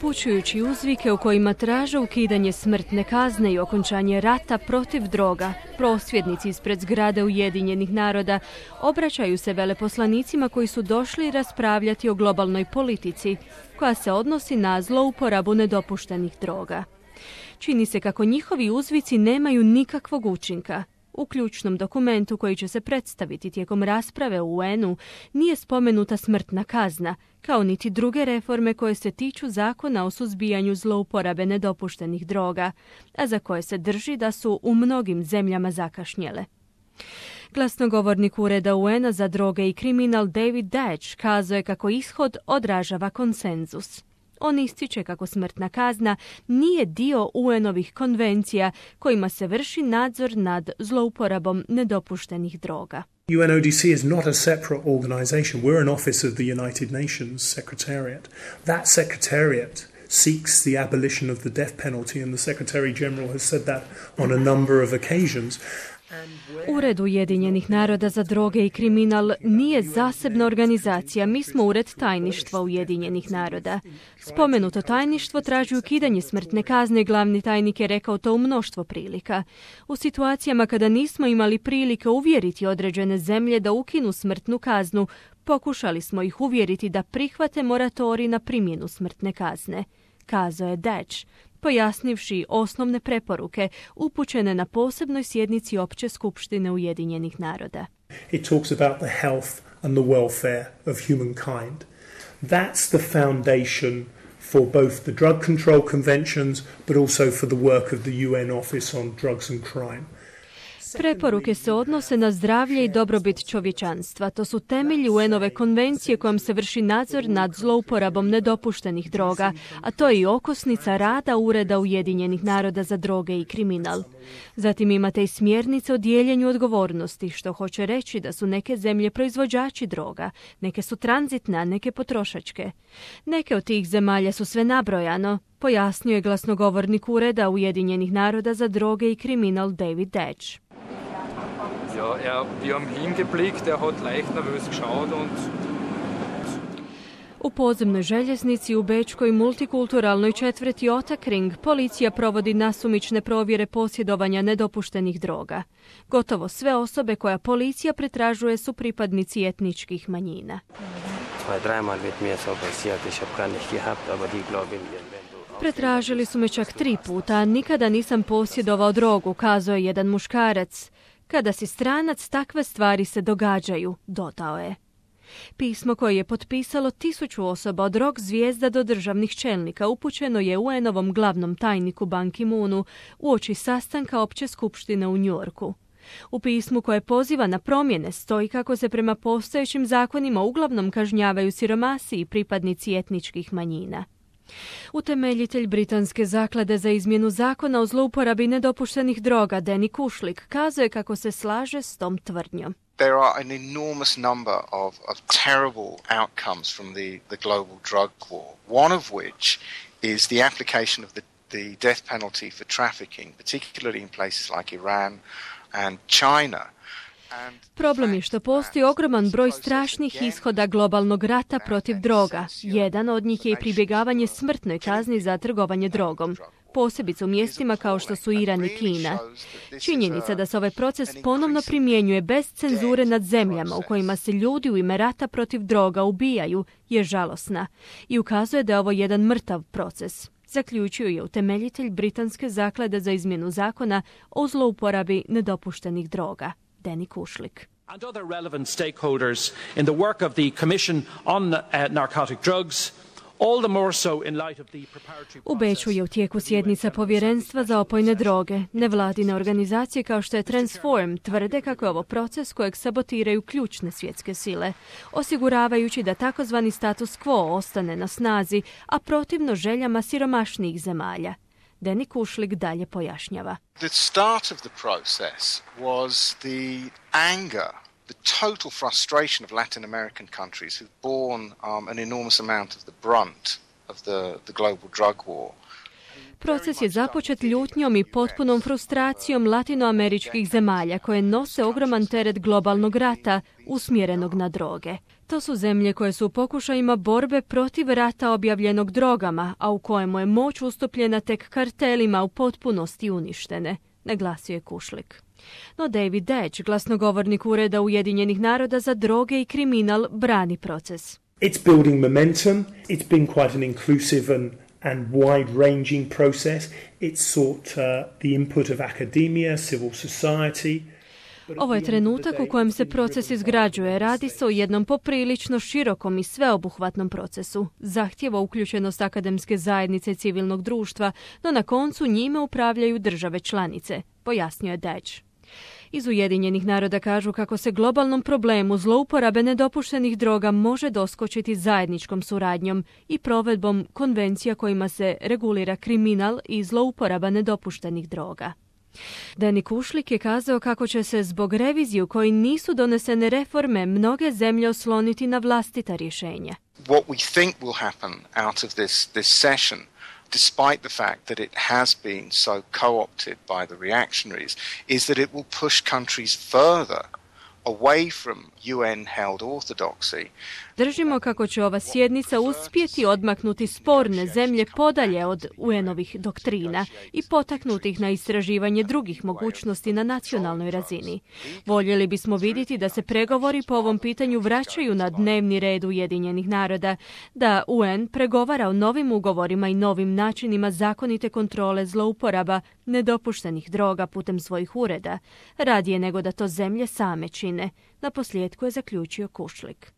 Upućujući uzvike u kojima traže ukidanje smrtne kazne i okončanje rata protiv droga, prosvjednici ispred zgrade Ujedinjenih naroda obraćaju se veleposlanicima koji su došli raspravljati o globalnoj politici koja se odnosi na zlouporabu nedopuštenih droga. Čini se kako njihovi uzvici nemaju nikakvog učinka. U ključnom dokumentu koji će se predstaviti tijekom rasprave u UN-u nije spomenuta smrtna kazna, kao niti druge reforme koje se tiču zakona o suzbijanju zlouporabe nedopuštenih droga, a za koje se drži da su u mnogim zemljama zakašnjele. Glasnogovornik Ureda UN-a za droge i kriminal David Deutsch kazao je kako ishod odražava konsenzus. On ističe kako smrtna kazna nije dio UN-ovih konvencija kojima se vrši nadzor nad zlouporabom nedopuštenih droga. UNODC is not a separate organization. We're an office of the United Nations Secretariat. That secretariat seeks the abolition of the death penalty, and the Secretary General has said that on a number of occasions. Ured Ujedinjenih naroda za droge i kriminal nije zasebna organizacija, mi smo Ured tajništva Ujedinjenih naroda. Spomenuto tajništvo traži ukidanje smrtne kazne, glavni tajnik je rekao to u mnoštvo prilika. U situacijama kada nismo imali prilike uvjeriti određene zemlje da ukinu smrtnu kaznu, pokušali smo ih uvjeriti da prihvate moratorij na primjenu smrtne kazne, kazao je Deutsch, pojasnivši osnovne preporuke upućene na posebnoj sjednici Opće skupštine Ujedinjenih naroda. It talks about the health and the welfare of humankind. That's the foundation for both the drug control conventions but also for the work of the UN Office on Drugs and Crime. Preporuke se odnose na zdravlje i dobrobit čovječanstva. To su temelji UN-ove konvencije kojom se vrši nadzor nad zlouporabom nedopuštenih droga, a to je i okosnica rada Ureda Ujedinjenih naroda za droge i kriminal. Zatim imate i smjernice o dijeljenju odgovornosti, što hoće reći da su neke zemlje proizvođači droga, neke su tranzitne, a neke potrošačke. Neke od tih zemalja su sve nabrojano, pojasnio je glasnogovornik Ureda Ujedinjenih naroda za droge i kriminal David Deutsch. Ja, wir haben hingeblickt, hat leicht nervös geschaut und U podzemnoj željeznici u bečkoj multikulturalnoj četvrti Ottakring policija provodi nasumične provjere posjedovanja nedopuštenih droga. Gotovo sve osobe koja policija pretražuje su pripadnici etničkih manjina. Pretražili su me čak 3 puta, a nikada nisam posjedovao drogu, kazao je jedan muškarac. Kada si stranac, takve stvari se događaju, dodao je. Pismo koje je potpisalo 1000 osoba od rock zvijezda do državnih čelnika upućeno je UN-ovom glavnom tajniku Ban Ki-moonu uoči sastanka Opće skupštine u Njujorku. U pismu koje poziva na promjene stoji kako se prema postojećim zakonima uglavnom kažnjavaju siromasi i pripadnici etničkih manjina. Utemeljitelj Britanske zaklade za izmjenu zakona o zlouporabi nedopuštenih droga Danny Kušlik kazao je kako se slaže s tom tvrdnjom. There are an enormous number of terrible outcomes from the global drug war, one of which is the application of the death penalty for trafficking, particularly in places like Iran and China. Problem je što postoji ogroman broj strašnih ishoda globalnog rata protiv droga. Jedan od njih je i pribjegavanje smrtnoj kazni za trgovanje drogom, posebice u mjestima kao što su Iran i Kina. Činjenica da se ovaj proces ponovno primjenjuje bez cenzure nad zemljama u kojima se ljudi u ime rata protiv droga ubijaju je žalosna i ukazuje da je ovo jedan mrtav proces, zaključio je utemeljitelj Britanske zaklade za izmjenu zakona o zlouporabi nedopuštenih droga, Danny Kušlik. And other relevant stakeholders in the work of the Commission on Narcotic Drugs, all the more so in light of the preparatory process. U Beču je u tijeku sjednica Povjerenstva za opojne droge. Nevladine organizacije kao što je Transform tvrde kako je ovo proces kojeg sabotiraju ključne svjetske sile, osiguravajući da takozvani status quo ostane na snazi, a protivno željama siromašnijih zemalja. Danny Kušlik dalje pojašnjava. The start of the process was the anger, the total frustration of Latin American countries who've borne an enormous amount of the brunt of the global drug war. Proces je započet ljutnjom i potpunom frustracijom latinoameričkih zemalja koje nose ogroman teret globalnog rata usmjerenog na droge. To su zemlje koje su u pokušajima borbe protiv rata objavljenog drogama, a u kojemu je moć ustupljena tek kartelima u potpunosti uništene, naglasio je Kušlik. No David Deč, glasnogovornik Ureda Ujedinjenih naroda za droge i kriminal, brani proces. It's building momentum. It's been quite an inclusive and wide-ranging process. It's sought the input of academia, civil society. Ovo je trenutak u kojem se proces izgrađuje. Radi se o jednom poprilično širokom i sveobuhvatnom procesu. Zahtijeva uključenost akademske zajednice civilnog društva, no na koncu njime upravljaju države članice, pojasnio je Deč. Iz Ujedinjenih naroda kažu kako se globalnom problemu zlouporabe nedopuštenih droga može doskočiti zajedničkom suradnjom i provedbom konvencija kojima se regulira kriminal i zlouporaba nedopuštenih droga. Danny Kušlik je kazao kako će se zbog revizije u kojoj nisu donesene reforme mnoge zemlje osloniti na vlastita rješenja. What we think will happen out of this session, despite the fact that it has been so co-opted by the reactionaries, is that it will push countries further away from UN-held orthodoxy. Držimo kako će ova sjednica uspjeti odmaknuti sporne zemlje podalje od UN-ovih doktrina i potaknuti ih na istraživanje drugih mogućnosti na nacionalnoj razini. Voljeli bismo vidjeti da se pregovori po ovom pitanju vraćaju na dnevni red Ujedinjenih naroda, da UN pregovara o novim ugovorima i novim načinima zakonite kontrole zlouporaba nedopuštenih droga putem svojih ureda, radije nego da to zemlje same čine. Na posljedku je zaključio Kušlik.